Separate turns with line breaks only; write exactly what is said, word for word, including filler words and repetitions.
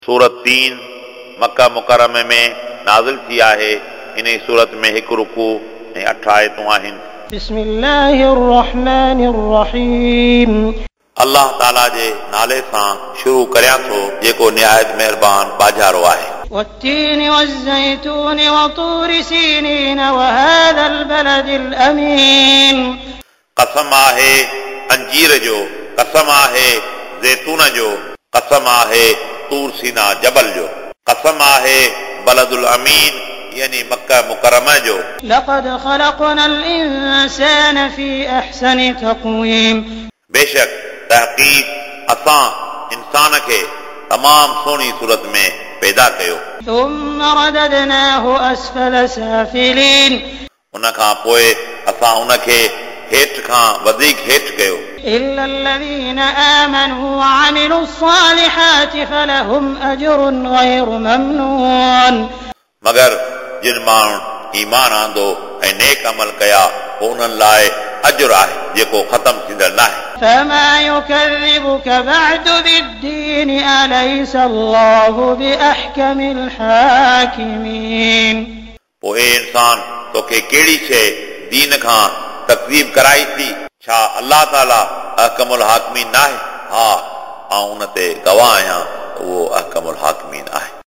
सूरत तीन मक्का मुकर्रम में नाज़िल थी आहे। इन सूरत में हिकु रुकू ऐं अठ आयतूं आहिनि।
بسم الله الرحمن الرحيم।
अल्लाह ताला जे नाले सां शुरू करियां थो जेको निहायत महिरबान बाजारो आहे।
والتين والزيتون وطور سينين وهذا البلد الأمين।
कसम आहे अंजीर जो, कसम आहे ज़ैतून जो, कसम आहे तूर सीना जबल जो, कसम आहे बलदुल अमीन यानी मक्का मुकर्रमा जो।
لقد خلقنا الإنسان في أحسن تقويم।
बेशक तहक़ीक़ असां इंसान खे तमाम सुहिणी सूरत में पैदा कयो।
ثم رددناه أسفل سافلين।
उन खां पोइ असां उनखे हेठि खां वधीक हेठि कयो।
إلا الذين آمنوا وعملوا الصالحات فلهم أجر غير ممنون।
मगर जिन माण्हुनि ईमान आंदो ऐं नेक अमल कया पोइ उन्हनि लाइ अजुर आहे जेको ख़तमु थींदड़ न आहे।
فما يكذبك بعد بالدين أليس الله بأحكم الحاكمين।
पोइ ए इंसान तोखे कहिड़ी शइ दीन खां तकज़ीब कराई थी? छा अल्लाह ताला अहकमुल हाकिमीन न आहे? हा, आउं उन ते गवाह आहियां त उहो अहकमुल हाकिमीन आहे।